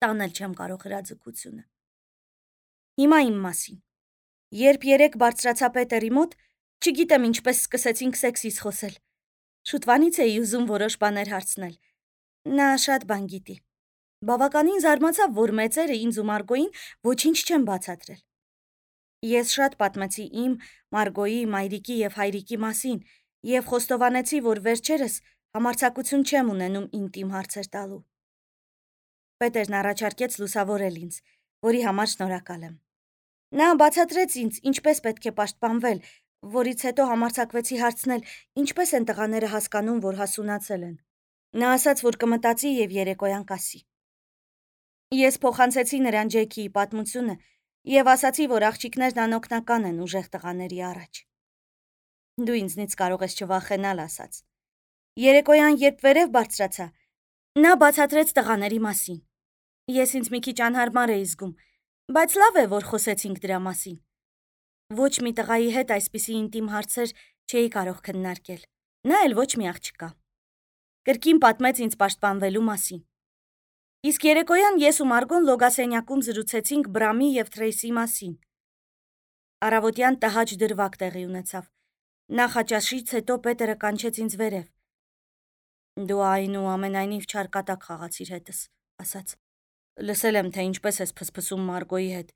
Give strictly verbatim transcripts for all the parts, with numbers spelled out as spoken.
տանել չեմ կարող հրաձգությունը։ Հիմա իմ մասին։ Երբ երեք բարձրացա Պետերի մոտ, չգիտեմ ինչպես սկսեցինք սեքսից խոսել։ Շուտվանից էի ուզում որոշ բաներ հարցնել։ Նա շատ բան գիտի։ Բավականին զարմացավ, որ մեծերը ինձ ու Մարգոյին ոչինչ չեն բացատրել։ Ես շատ պատմեցի իմ, Մարգոյի, մայրիկի եւ հայրիկի մասին եւ խոստովանեցի, որ վերջերս համարձակություն չեմ ունենում ինտիմ հարցեր տալու։ Պետերն առաջարկեց լուսավորել ինձ, որի համար շնորհակալ եմ։ Նա բացատրեց ինձ, ինչպես պետք է պաշտպանվել, որից հետո համարձակվեցի հարցնել, ինչպես են տղաները հասկանում, որ հասունացել են։ Նա ասաց, որ կմտածի եւ երեկոյան կասի։ Ես փոխանցեցի նրան Ջեքիի պատմությունը եւ ասացի, որ աղջիկներն անօգնական են ուժեղ տղաների առաջ։ Դու ինձնից կարող ես չվախենալ, ասաց։ Երեկոյան, երբ վերև բարձրացա, նա բացատրեց տղաների մասին։ Ես ինձ մի քիչ անհարմար էի զգում, բայց լավ է, որ խոսեցինք դրա մասին։ Ոչ մի տղայի հետ այսպիսի ինտիմ հարցեր չէի կարող քննարկել։ Նա էլ ոչ մի աղջկա։ Կրկին պատմեց ինձ պաշտպանվելու մասին։ Իսկ երեկոյան ես ու Մարգոն լոգասենյակում զրուցեցինք Բրամի եւ Թրեյսի մասին։ Առավոտյան տհաճ դրվագ տեղի ունեցավ։ Նախաճաշից հետո Պետերը կանչեց ինձ վերև։ Դու այնուամենայնիվ չարկատակ խաղացիր հետս, ասաց։ Լսել եմ, թե ինչպես ես փսփսում Մարգոյի հետ,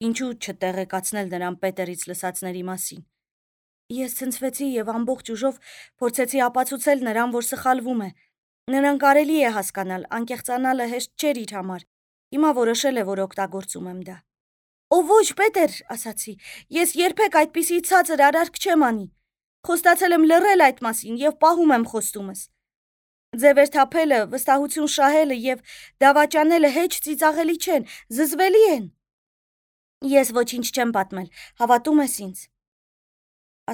ինչու չտեղեկացնել նրան Պետերից լսածների մասին։ Ես ցնցվեցի եւ ամբողջ ուժով փորձեցի ապացուցել նրան, որ սխալվում է։ Նրան կարելի է հասկանալ, անկեղծանալը հեշտ չէր իր համար։ Հիմա որոշել է, որ օգտագործում եմ դա։ Օ ոչ, Պետեր, ասացի, ես երբեք այդպիսի ցածր արարք չեմ անի։ Խոստացել եմ լռել այդ մասին եւ պահում եմ խոստումս։ Ձևեր թափելը, վստահություն շահելը եւ դավաճանելը հեչ ծիծաղելի չեն, զզվելի են։ Ես ոչինչ չեմ պատմել, հավատում ես ինձ։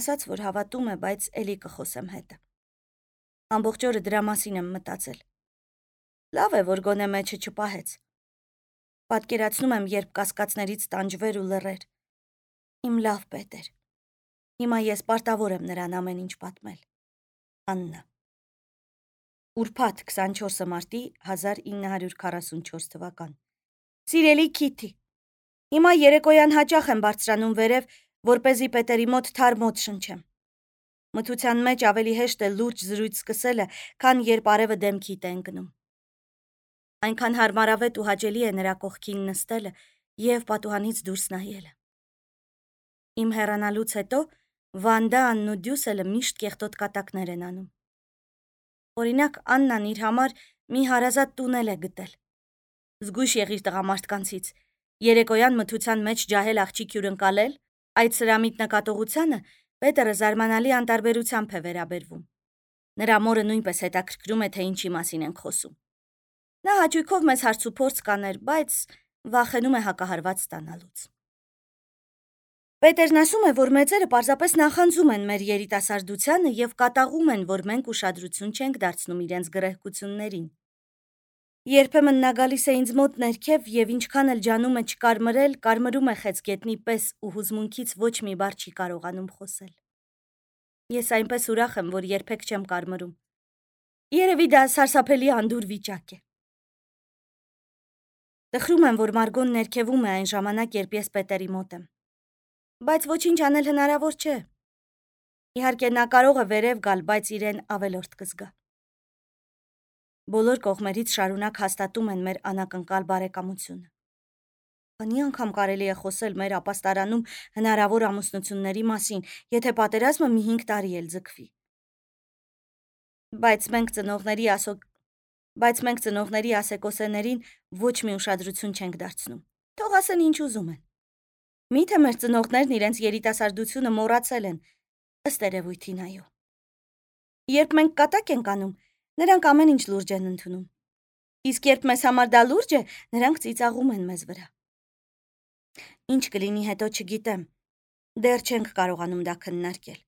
Ասաց, որ հավատում է, բայց էլի կխոսեմ հետը։ Ամբողջ օրը դրա մասին եմ մտածել։ Լավ է, որ գոնե մեջը չպահեց։ Պատկերացնում եմ, երբ կասկածներից տանջվեր ու լռեր։ Իմ լավ Պետեր։ Հիմա ես պարտավոր եմ նրան ամեն ինչ պատմել։ Աննա։ Ուրբաթ քսանչորսը մարտի հազար ինը հարյուր քառասունչորս թվական։ Սիրելի Քիթի, հիմա երեկոյան հաճախ եմ բարձրանում վերև, որպեսզի Պետերի մոտ թարմ օդ շնչեմ։ Մթության մեջ ավելի հեշտ է լուրջ զրույց սկսելը, քան երբ արևը դեմքիդ է ընկնում։ Այնքան հարմարավետ ու հաճելի է նրա կողքին նստելը եւ պատուհանից դուրս նայելը։ Իմ հեռանալուց հետո Վանդա, Աննն ու Դյուսելը միշտ կեղտոտ կատակներ են անում։ Օրինակ, Աննան իր համար մի հարազատ տուն է գտել։ Զգույշ եղիր տղամարդկանցից։ Երեկոյան մթության մեջ ջահել աղջիկ հյուրընկալել, այդ սրամիտ նկատողությանը Պետերը զարմանալի անտարբերությամբ է վերաբերվում։ Նրա մորը նույնպես հետաքրքրում է, թե ինչի մասին ենք խոսում։ Նա հաճույքով մեզ հարց ու փորձ կաներ, բայց վախենում է հակահարված ստանալուց։ Պետերն ասում է, որ մեծերը պարզապես նախանձում են մեր երիտասարդությանը եւ կատաղում են, որ մենք ուշադրություն չենք դարձնում իրենց գրեհկություններին։ Երբեմն նա գալիս է ինձ մոտ ներքև եւ ինչքան էլ ջանում է չկարմրել, կարմրում է խեցգետնի պես ու հուզմունքից ոչ մի բառ չի կարողանում խոսել։ Ես այնպես ուրախ եմ, որ երբեք չեմ կարմրում։ Երևի դա սարսափելի անդուր վիճակ է։ Տխրում եմ, որ Մարգոն ներքևում է այն ժամանակ, երբ ես Պետերի մոտ եմ։ Բայց ոչինչ անել հնարավոր չէ։ Իհարկե նա կարող է վերև գալ, բայց իրեն ավելորդ կզգա։ Բոլոր կողմերից շարունակ հաստատում են մեր անակնկալ բարեկամությունը։ Քանի անգամ կարելի է խոսել մեր ապաստարանում հնարավոր ամուսնությունների մասին, եթե պատերազմը մի հինգ տարի էլ ձգվի։ Բայց մենք ծնողների ասո... Բայց մենք ծնողների ասեկոսեներին ոչ մի ուշադրություն չենք դարձնում։ Թող ասեն ինչ ուզում են։ Միթե մեր ծնողներն իրենց երիտասարդությունը մոռացել են, ըստ երևույթին այո։ Երբ մենք կատակ ենք անում, նրանք ամեն ինչ լուրջ են ընդունում։ Իսկ երբ մեզ համար դա լուրջ է, նրանք ծիծաղում են մեզ վրա։ Ինչ կլինի հետո չգիտեմ։ Դեռ չենք կարողանում դա քննարկել։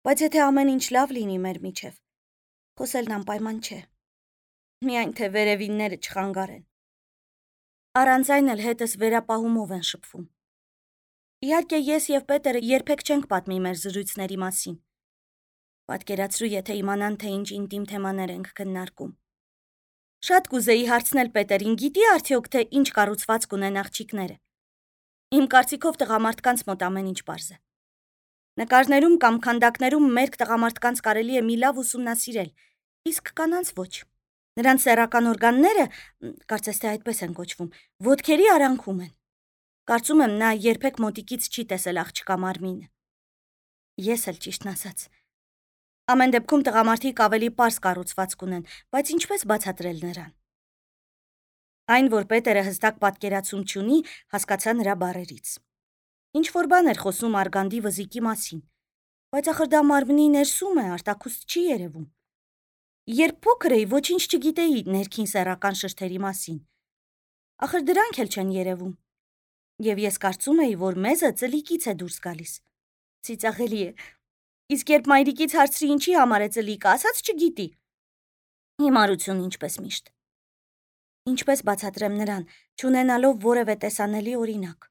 Բայց եթե ամեն ինչ լավ լինի մեր միջև, խոսելն անպայման չէ։ Միայն թե վերևինները չխանգարեն։ Առանց այն էլ հետս վերապահումով են շփվում։ Իհարկե ես եւ Պետերը երբեք չենք պատմի մեր զրույցների մասին։ Պատկերացրու, եթե իմանան, թե ինչ ինտիմ թեմաներ ենք քննարկում։ Շատ կուզեի հարցնել Պետերին, գիտի արդյոք թե ինչ կառուցվածք ունեն աղջիկները։ Իմ կարծիքով տղամարդկանց մոտ ամեն ինչ պարզ է։ Նկարներում կամ քանդակներում մերկ տղամարդկանց կարելի է մի լավ ուսումնասիրել, իսկ կանանց ոչ։ Նրանց սեռական օրգանները, կարծես թե այդպես են կոչվում, ոտքերի արանքում են։ Կարծում եմ նա երբեք մոտիկից չի տեսել աղջկա մարմինը։ Ես էլ ճիշտն ասած։ Ամեն դեպքում տղամարդիկ ավելի պարզ կառուցվածք ունեն, բայց ինչպես բացատրել նրան։ Այն, որ Պետերը հստակ պատկերացում չունի, հասկացա նրա բառերից։ Ինչ-որ բան էր խոսում արգանդի վզիկի մասին, բայց ախր դա մարմնի ներսում է, արտաքուստ չի երևում։ Երբ փոքր էի, ոչինչ չգիտեի ներքին սեռական շրթերի մասին։ Ախր դրանք էլ չեն երևում։ Եվ ես կարծում էի, որ մեզը ծլիկից է դուրս գալիս։ Ծիծաղելի է։ Իսկ երբ մայրիկից հարցրի ինչի համար է ծլիկը, ասաց չգիտի։ Հիմարություն ինչպես միշտ։ Ինչպես բացատրեմ նրան, չունենալով որևէ տեսանելի օրինակ։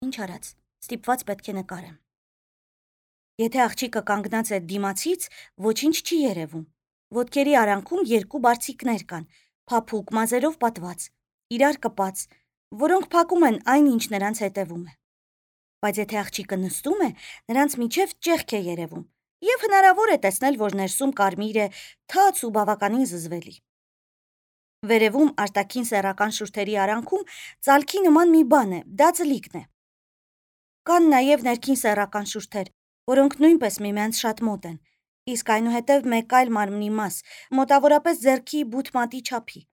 Ինչ արած, ստիպված պետք է նկարեմ։ Եթե աղջիկը կանգնած է դիմացից, ոչինչ չի երևում։ Ոտքերի արանքում երկու բարձիկներ կան, փափուկ մազերով պատված, իրար կպած, որոնք փակում են այն, ինչ նրանց հետևում է։ Բայց եթե աղջիկը նստում է, նրանց միջև ճեղք է երևում, եւ հնարավոր է տեսնել, որ ներսում կարմիր է, թաց ու բավականին զզվելի։ Վերևում արտաքին սեռական շուրթերի արանքում ծալքի նման մի բան է, դա ծլիկն է։ Կան նաեւ ներքին սեռական շուրթեր, որոնք նույնպես միմյանց շատ մոտ են, իսկ այնուհետև մեկ այլ մարմնի մաս, մոտավորապես ձեռքի բութ մատի չափի։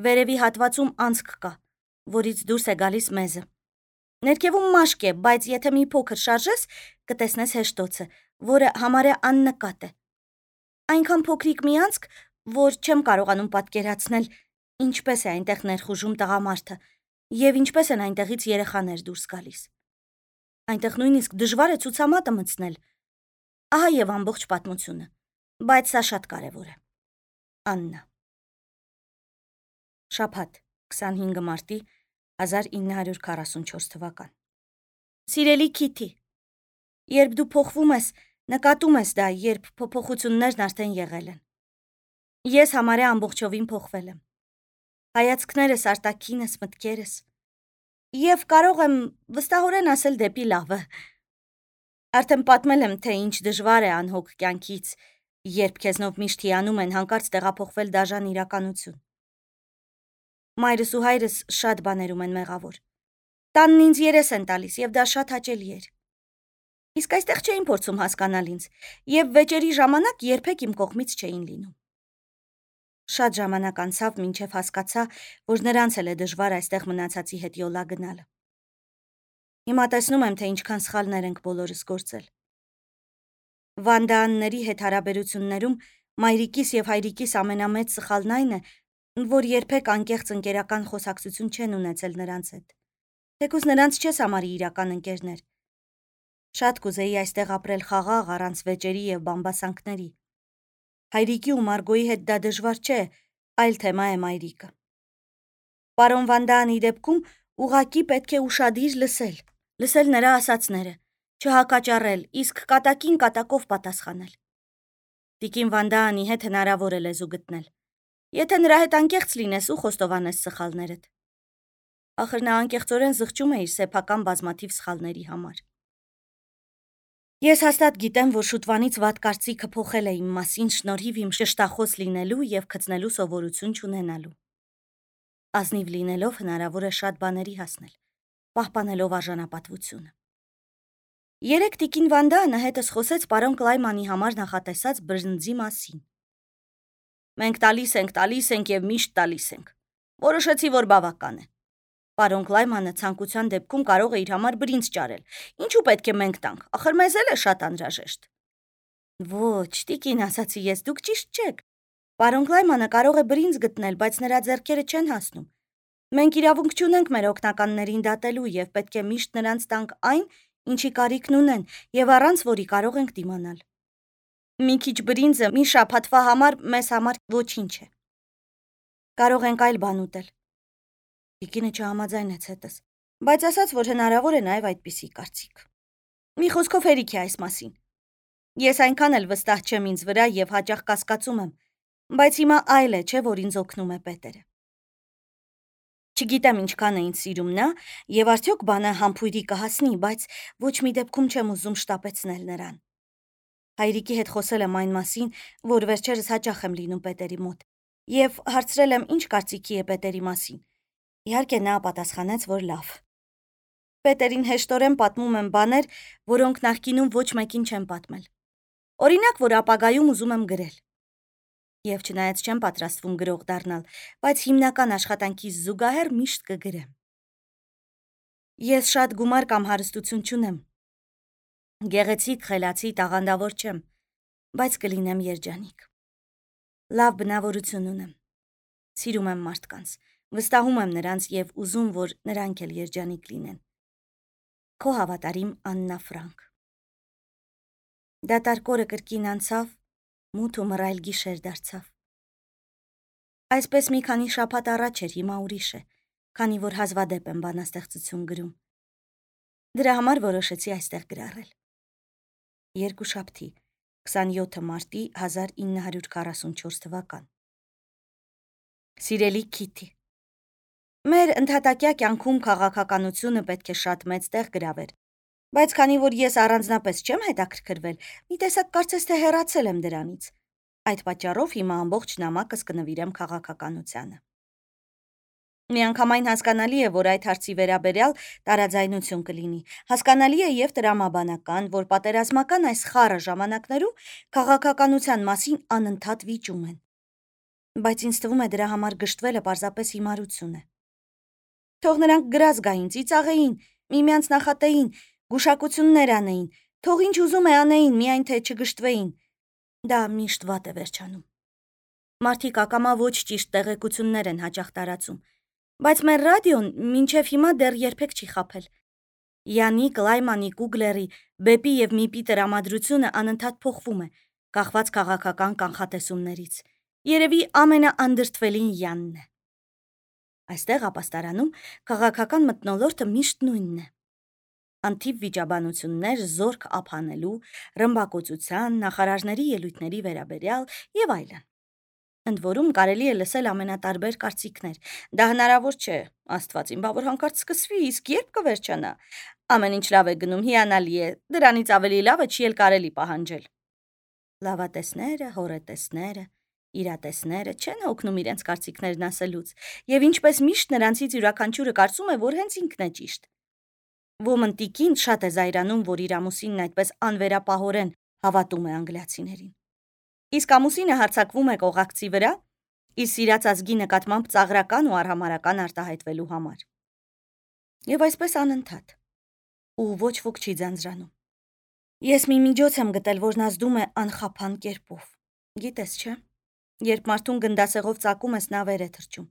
Վերևի հատվածում անցք կա, որից դուրս է գալիս մեզը։ Ներքևում մաշկ է, բայց եթե մի փոքր շարժես, կտեսնես հեշտոցը, որը համարյա աննկատ է։ Այնքան փոքրիկ մի անցք, որ չեմ կարողանում պատկերացնել, ինչպես է այնտեղ ներխուժում տղամարդը եւ ինչպես են այնտեղից երեխաներ դուրս գալիս։ Այնտեղ նույնիսկ դժվար է ցուցամատը մտցնել։ Ահա եւ ամբողջ պատմությունը, բայց սա շատ կարեւոր է։ Աննա։ Շաբաթ, քսանհինգ մարտի հազար ինը հարյուր քառասունչորս թվական։ Սիրելի Քիթի, երբ դու փոխվում ես, նկատում ես դա, երբ փոփոխություններն արդեն եղել են։ Ես համարյա ամբողջովին փոխվել եմ։ Հայացքներս, արտաքինս, մտքերս։ Եվ կարող եմ վստահորեն ասել դեպի լավը։ Արդեն պատմել եմ, թե ինչ դժվար է անհոգ կյանքից, երբ քեզնով միշտ հիանում են հանկարծ տեղափոխվել դաժան իրականություն։ Մայրս ու հայրս շատ բաներում են մեղավոր։ Տանն ինձ երես են տալիս, եւ դա շատ հաճելի էր։ Իսկ այստեղ չէին փորձում հասկանալ ինձ, եւ վեճերի ժամանակ երբեք իմ կողմից չէին լինում։ Շատ ժամանակ անցավ, մինչև հասկացա, որ նրանց էլ է դժվար այստեղ մնացածի հետ յոլա գնալը։ Հիմա տեսնում եմ, թե ինչքան սխալներ ենք բոլորս գործել։ Վանդաանների հետ հարաբերություններում մայրիկիս եւ հայրիկիս ամենամեծ սխալն այն է, որ երբեք անկեղծ ընկերական խոսակցություն չեն ունեցել նրանց հետ։ Թեկուզ նրանց չես համարի իրական ընկերներ։ Շատ կուզեի այստեղ ապրել խաղաղ, առանց վեճերի եւ բամբասանքների։ Հայրիկի ու Մարգոյի հետ դա դժվար չէ, այլ թեմա է մայրիկը։ Պարոն Վանդաանի դեպքում ուղղակի պետք է ուշադիր լսել, լսել նրա ասածները, չհակաճառել, իսկ կատակին կատակով պատասխանել։ Տիկին Վանդաանի հետ հնարավոր է լեզու գտնել։ Եթե նրա հետ անկեղծ լինես ու խոստովանես սխալներդ։ Ախր նա անկեղծորեն զղջում է իր սեփական բազմաթիվ սխալների համար։ Ես հաստատ գիտեմ, որ շուտվանից վատ կարծիքը փոխել է իմ մասին շնորհիվ իմ շշտախոս լինելու եւ քծնելու սովորություն չունենալու։ Ազնիվ լինելով հնարավոր է շատ բաների հասնել, պահպանելով արժանապատվությունը։ Երեք տիկին Վանդանը հետս խոսեց պարոն Կլայմանի համար նախատեսած բրնձի մասին։ Մենք տալիս ենք, տալիս ենք եւ միշտ տալիս ենք։ Որոշեցի, որ բավական է։ Պարոն Կլայմանը ցանկության դեպքում կարող է իր համար բրինձ ճարել։ Ինչու պետք է մենք տանք, ախր մեզ էլ է շատ անհրաժեշտ։ Ոչ, տիկին, ասացի ես, դուք ճիշտ չեք։ Պարոն Կլայմանը կարող է բրինձ գտնել, բայց նրա ձեռքերը չեն հասնում։ Մենք իրավունք չունենք մեր օգնականներին դատելու եւ պետք է միշտ նրանց տանք այն, ինչի կարիքն ունեն եւ առանց որի կարող ենք դիմանալ։ Մի քիչ բրինձը մի շաբաթվա համար մեզ համար ոչինչ է։ Կարող ենք այլ բան ուտել։ Տիկինը չհամաձայնեց հետս, բայց ասաց, որ հնարավոր է նաև այդպիսի կարծիք։ Մի խոսքով հերիք է այս մասին։ Ես այնքան էլ վստահ չեմ ինձ վրա եւ հաճախ կասկածում եմ, Բայց հիմա այլ է, չէ, որ ինձ օգնում է Պետերը։ Չգիտեմ ինչքան է ինձ սիրում նա, եւ արդյոք բանը համբույրի կհասնի, բայց ոչ մի դեպքում չեմ ուզում շտապեցնել նրան։ Հայրիկի հետ խոսել եմ այն մասին, որ վերջերս հաճախ եմ լինում Պետերի մոտ, եւ հարցրել եմ ինչ կարծիքի է Պետերի մասին։ Իհարկե նա պատասխանեց, որ լավ։ Պետերին հեշտորեն պատմում եմ բաներ, որոնք նախկինում ոչ մեկին չեմ պատմել։ Օրինակ, որ ապագայում ուզում եմ գրել։ Եվ չնայած չեմ պատրաստվում գրող դառնալ, բայց հիմնական աշխատանքիս զուգահեռ միշտ կգրեմ։ Ես շատ գումար կամ հարստություն չունեմ։ Գեղեցիկ, խելացի, տաղանդավոր չեմ, բայց կլինեմ երջանիկ։ Լավ բնավորություն ունեմ։ Սիրում եմ մարդկանց, վստահում եմ նրանց եւ ուզում, որ նրանք էլ երջանիկ լինեն։ Քո հավատարիմ Աննա Ֆրանկ։ Դատարկորը կրկին անցավ, մութ ու մռայլ գիշեր դարձավ։ Այսպես մի քանի շաբաթ առաջ էր, հիմա ուրիշ է, քանի որ հազվադեպ եմ բանաստեղծություն գրում։ Դրա համար որոշեցի այստեղ գրառել։ Երկուշաբթի, քսանյոթ մարտի հազար ինը հարյուր քառասունչորս թվական։ Սիրելի Քիթի, մեր ընդհատակյա կյանքում քաղաքականությունը պետք է շատ մեծ տեղ գրավեր, բայց քանի որ ես առանձնապես չեմ հետաքրքրվել, մի տեսակ կարծես թե հեռացել եմ դրանից։ Այդ պատճառով հիմա ամբողջ նամակս կնվիրեմ քաղաքականությանը։ Միանգամայն հասկանալի է, որ այդ հարցի վերաբերյալ տարաձայնություն կլինի։ Հասկանալի է եւ տրամաբանական, որ պատերազմական այս խառը ժամանակներում քաղաքականության մասին անընդհատ վիճում են։ Բայց ինձ թվում է դրա համար գժտվելը պարզապես հիմարություն է։ Թող նրանք գրած գային, ծիծաղեին, միմյանց նախատեին, գուշակություններ անեին, թող ինչ ուզում է անեին, միայն թե չգժտվեին։ Դա միշտ վատ է վերջանում։ Մարդիկ ակամա ոչ ճիշտ տեղեկություններ են հաճախ տարածում, բայց մեր ռադիոն մինչև հիմա դեռ երբեք չի խաբել։ Յանիկ, Լայմանի, Կուգլերի, Բեպի եւ Միպի տրամադրությունը անընդհատ փոխվում է, կախված քաղաքական կանխատեսումներից։ Երևի ամենաանդրդվելին Յանն է։ Այստեղ ապաստարանում քաղաքական մթնոլորտը միշտ նույնն է։ Անթիվ վիճաբանություններ զորք ափանելու, ռմբակոծության, նախարարների ելույթների վերաբերյալ եւ այլն։ Ընդ որում կարելի է լսել ամենատարբեր կարծիքներ։ Դա հնարավոր չէ, Աստված իմ, բա որ հանկարծ սկսվի, իսկ երբ կվերջանա։ Ամեն ինչ լավ է գնում, հիանալի է, դրանից ավելի լավը չի էլ կարելի պահանջել։ Լավատեսները, հորետեսները, իրատեսները չեն օգնում իրենց կարծիքներն ասելուց, եւ ինչպես միշտ նրանցից յուրաքանչյուրը կարծում է, որ հենց ինքն է ճիշտ։ Ոմնտիկին շատ է զայրանում, որ իր ամուսինն այդպես անվերապահորեն հավատում է անգլիացիներին։ Իսկ ամուսինը հարձակվում է կողակցի վրա, իր սիրած ազգի նկատմամբ ծաղրական ու արհամարական արտահայտվելու համար։ Եվ այսպես անընդհատ։ Ու ոչ ոք չի ձանձրանում։ Ես մի միջոց եմ գտել, որն ազդում է անխափան կերպով։ Գիտես, չէ՞, երբ մարդուն գնդասեղով ծակում ես, նա վեր է թռչում։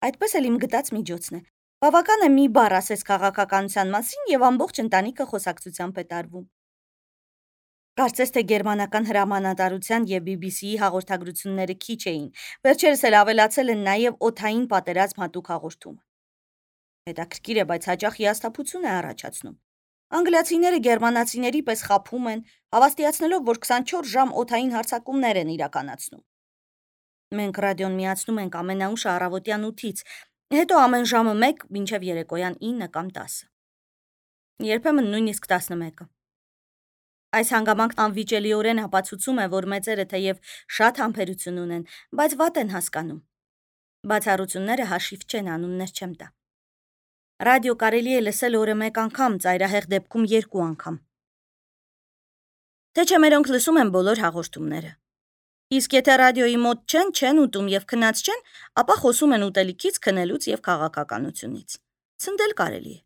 Այդպես էլ իմ գտած միջոցն է։ Բավական է մի բառ ասես քաղաքականության մասին եւ ամբողջ ընտանիքը խոսակցությամբ է տարվում։ Կարծես թե գերմանական հրամանատարության եւ բի բի սի-ի հաղորդագրությունները քիչ էին։ Վերջերս էլ ավելացել են նաեւ օդային պատերազմ հատուկ հաղորդումը։ Հետաքրքիր է, բայց հաճախ հիասթափություն է առաջացնում։ Անգլիացիները գերմանացիների պես խաբում են, հավաստիացնելով, որ քսանչորս ժամ օդային հարձակումներ են իրականացնում։ Մենք ռադիոն միացնում ենք ամենաուշ առավոտյան ութից, հետո ամեն ժամը մեկ մինչև երեկոյան ինը կամ տասը։ Երբեմն նույնիսկ տասնմեկը։ Այս հանգամանքն անվիճելիորեն ապացուցում է, որ մեծերը թեև շատ համբերություն ունեն, բայց վատ են հասկանում։ Բացառությունները հաշիվ չեն, անուններ չեմ տա։ Ռադիո կարելի է լսել օրը մեկ անգամ, ծայրահեղ դեպքում երկու անգամ։ Թե չէ մերոնք լսում են բոլոր հաղորդումները։ Իսկ եթե ռադիոյի մոտ չեն, չեն ուտում եւ քնած չեն, ապա խոսում են ուտելիքից, քնելուց եւ քաղաքականությունից։ Ցնդել կարելի է։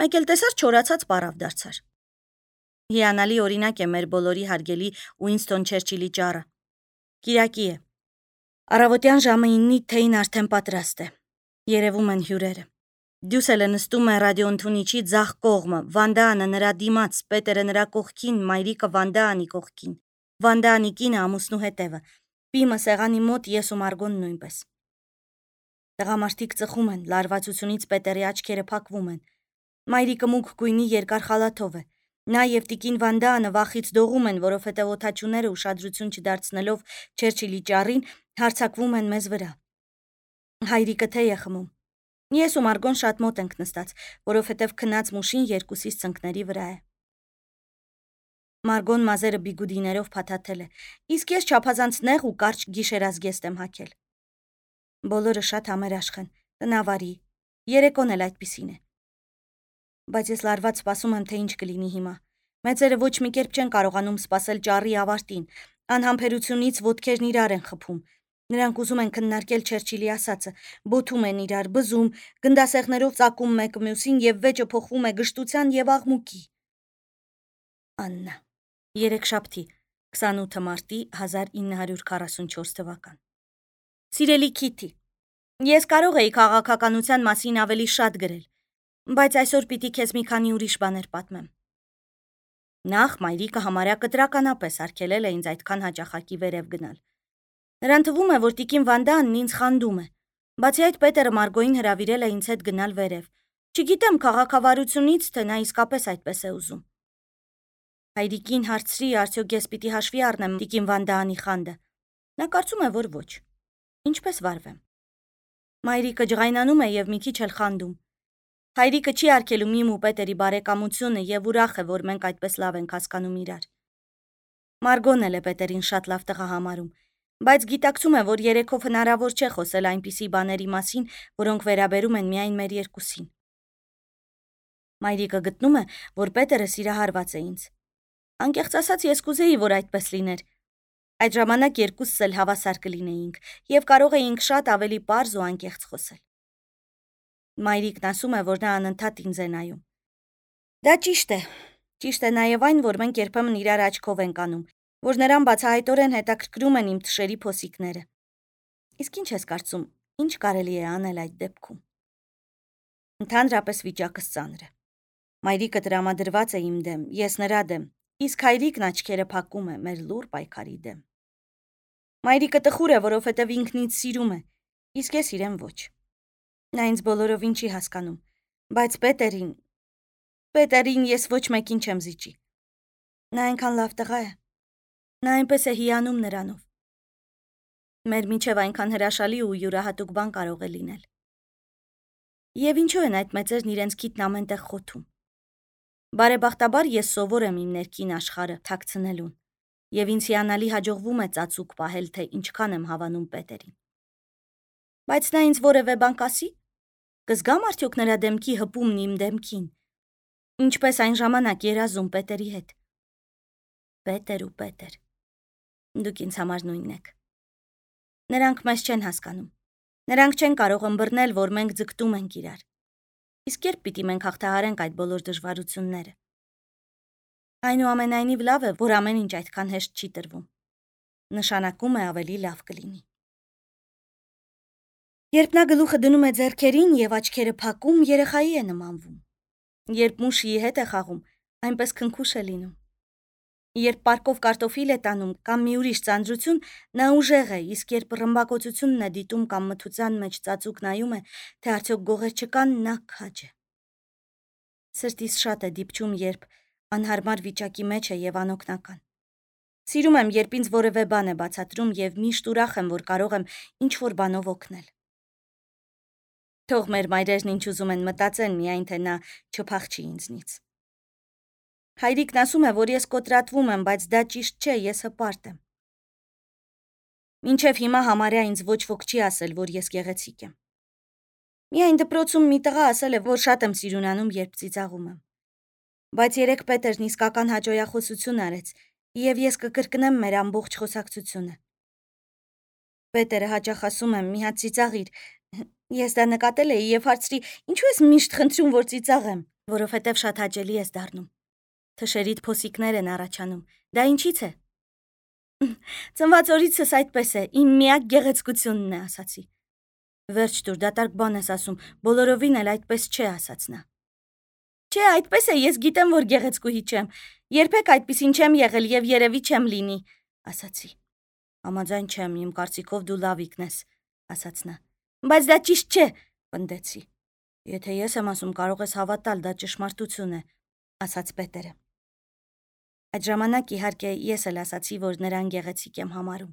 Մեկ էլ տեսար չորացած պարավ դարձար։ Հիանալի օրինակ է մեր բոլորի հարգելի Ուինստոն Չերչիլի ճառը։ Կիրակի է։ Առավոտյան ժամը իննի թեյն արդեն պատրաստ է։ Երևում են հյուրերը։ Դյուսելը նստում է ռադիոընդունիչի ձախ կողմը, Վանդաանը նրա դիմաց, Պետերը նրա կողքին, մայրիկը Վանդաանի կողքին, Վանդաանի կինը ամուսնու հետևը, Պիմը սեղանի մոտ, ես ու Մարգոն նույնպես։ Տղամարդիկ ծխում են, լարվածությունից Պետերի աչքերը փակվում են։ Մայրիկը մուգ գույնի երկար խալաթով է, Նա եւ տիկին Վանդանը վախից դողում են, որովհետեւ օդաչուները ուշադրություն չդարձնելով Չերչիլի ճառին հարձակվում են մեզ վրա։ Հայրիկը թեյ է խմում։ Ես ու Մարգոն շատ մոտ ենք նստած, որովհետեւ քնած մուշին երկուսիս ծնկների վրա է։ Մարգոն մազերը բիգուդիներով փաթաթել է, իսկ ես չափազանց նեղ ու կարճ գիշերազգեստ եմ հագել։ Բոլորը շատ համերաշխ են, տնավարի, երեկոն էլ այդպիսին է։ Բայց ես լարված սպասում եմ, թե ինչ կլինի հիմա։ Մեծերը ոչ մի կերպ չեն կարողանում սպասել ճառի ավարտին, անհամբերությունից ոտքերն իրար են խփում։ Նրանք ուզում են քննարկել Չերչիլի ասածը, բոթում են իրար, բզում, գնդասեղներով ծակում մեկը մյուսին եւ վեճը փոխվում է գժտության եւ աղմուկի։ Աննա, երեքշաբթի, քսանութը մարտի հազար ինը հարյուր քառասունչորս թվական։ Սիրելի Քիթի, ես կարող էի քաղաքականության մասին ավելի շատ գրել, բայց այսօր պիտի քեզ մի քանի ուրիշ բաներ պատմեմ։ Նախ մայրիկը համարյա կտրականապես արգելել է ինձ այդքան հաճախակի վերև գնալ։ Նրան թվում է, որ տիկին Վանդանն ինձ խանդում է, բացի այդ Պետերը Մարգոյին հրավիրել է ինձ հետ գնալ վերև։ Չգիտեմ քաղաքավարությունից, թե նա իսկապես այդպես է ուզում։ Հայրիկին հարցրի, արդյոք ես պիտի հաշվի առնեմ տիկին Վանդանի խանդը։ Նա կարծում է, որ ոչ։ Ինչպես վարվեմ։ Մայրիկը ջղայնանում է եւ մի քիչ էլ խանդում։ Հայրիկը չի արգելում իմ ու Պետերի բարեկամությունը եւ ուրախ է, որ մենք այդպես լավ ենք հասկանում իրար։ Մարգոն էլ է Պետերին շատ լավ տղա համարում, բայց գիտակցում է, որ երեքով հնարավոր չէ խոսել այնպիսի բաների մասին, որոնք վերաբերում են միայն մեր երկուսին։ Մայրիկը գտնում է, որ Պետերը սիրահարված է ինձ։ Անկեղծ ասած, ես կուզեի, որ այդպես լիներ։ Այդ ժամանակ երկուսս էլ հավասար կլինեինք եւ կարող էինք շատ ավելի պարզ ու անկեղծ խոսել։ Մայրիկն ասում է, որ նա անընդհատ ինձ է նայում։ Դա ճիշտ է։ Ճիշտ է նաեւ այն, որ մենք երբեմն իրար աչքով ենք անում, որ նրան բացահայտորեն հետաքրքրում են իմ թշերի փոսիկները։ Իսկ ինչ ես կարծում, ինչ կարելի է անել այդ դեպքում։ Ընդհանրապես վիճակս ծանր է։ Մայրիկը տրամադրված է իմ դեմ, ես նրա դեմ, իսկ հայրիկն աչքերը փակում է մեր լուռ պայքարի դեմ։ Մայրիկը տխուր է, որովհետև ինքն ինձ սիրում է, իսկ ես իրեն ոչ։ Նա ինձ բոլորովին չի հասկանում, բայց Պետերին, Պետերին ես ոչ մեկին չեմ զիջի։ Նա այնքան լավ տղա է։ Նա այնպես է հիանում նրանով։ Մեր միջև այնքան հրաշալի ու յուրահատուկ բան կարող է լինել։ Եվ ինչու են այդ մեծերն իրենց քիթն ամենտեղ խոթում։ Բարեբախտաբար ես սովոր եմ իմ ներքին աշխարհը թաքցնելուն, եւ ինձ հիանալի հաջողվում է ծածուկ պահել, թե ինչքան եմ հավանում Պետերին։ Բայց նա ինձ որևէ բան կասի։ Կզգամ արդյոք նրա դեմքի հպումն իմ դեմքին։ Ինչպես այն ժամանակ երազում Պետերի հետ։ Պետեր ու Պետեր։ Դուք ինձ համար նույնն եք։ Նրանք մեզ չեն հասկանում։ Նրանք չեն կարող ըմբռնել, որ մենք ձգտում ենք իրար։ Իսկ երբ պիտի մենք հաղթահարենք այդ բոլոր դժվարությունները։ Այնուամենայնիվ լավ է, որ ամեն ինչ այդքան հեշտ չի տրվում։ Նշանակում է ավելի լավ կլինի։ Երբ նա գլուխը դնում է ձեռքերին եւ աչքերը փակում, երեխայի է նմանվում։ Երբ մուշի հետ է խաղում, այնպես քնքուշ է լինում։ Երբ պարկով կարտոֆիլ է տանում կամ մի ուրիշ ծանրություն, նա ուժեղ է, իսկ երբ ռմբակոծությունն է դիտում կամ մթության մեջ ծածուկ նայում է, թե արդյոք գողեր չկան, նա քաջ է։ Սրտիս շատ է դիպչում, երբ անհարմար վիճակի մեջ է եւ անօգնական։ Սիրում եմ, երբ ինձ որևէ բան է բացատրում եւ միշտ ուրախ եմ, որ կարող եմ ինչ-որ բանով օգնել։ Թող մեր մայրերն ինչ ուզում են մտածեն, միայն թե նա չփախչի ինձնից։ Հայրիկն ասում է, որ ես կոտրատվում եմ, բայց դա ճիշտ չէ, ես հպարտ եմ։ Մինչև հիմա համարյա ինձ ոչ ոք չի ասել, որ ես գեղեցիկ եմ։ Միայն դպրոցում մի տղա ասել է, որ շատ եմ սիրունանում, երբ ծիծաղում եմ։ Բայց երեք Պետերն իսկական հաջողախոսություն արեց, եւ ես կկրկնեմ մեր ամբողջ խոսակցությունը։ Պետերը հաճախ ասում եմ, մի հատ ծիծաղիր։ Ես դա նկատել էի եւ հարցրի, ինչու ես միշտ խնդրում, որ ծիծաղեմ, որովհետեւ շատ հաճելի ես դառնում։ Թշերիդ փոսիկներ են առաջանում։ Դա ինչից է։ Ծնված օրիցս այդպես է, իմ միակ գեղեցկությունն է, ասացի։ Վերջ դուր, դատարկ բան ես ասում, բոլորովին էլ այդպես չէ, ասաց նա։ Չէ, այդպես է, ես գիտեմ, որ գեղեցկուհի չեմ։ Երբեք այդպեսին չեմ եղել եւ երևի չեմ լինի, ասացի։ Համաձայն չեմ, իմ կարծիքով դու լավիկն ես, ասաց նա։ Բայց դա ճիշտ չէ, պնդեցի։ Եթե ես եմ ասում, կարող ես հավատալ, դա ճշմարտություն է, ասաց Պետերը։ Այդ ժամանակ իհարկե ես էլ ասացի, որ նրան գեղեցիկ եմ համարում։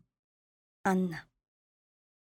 Աննա։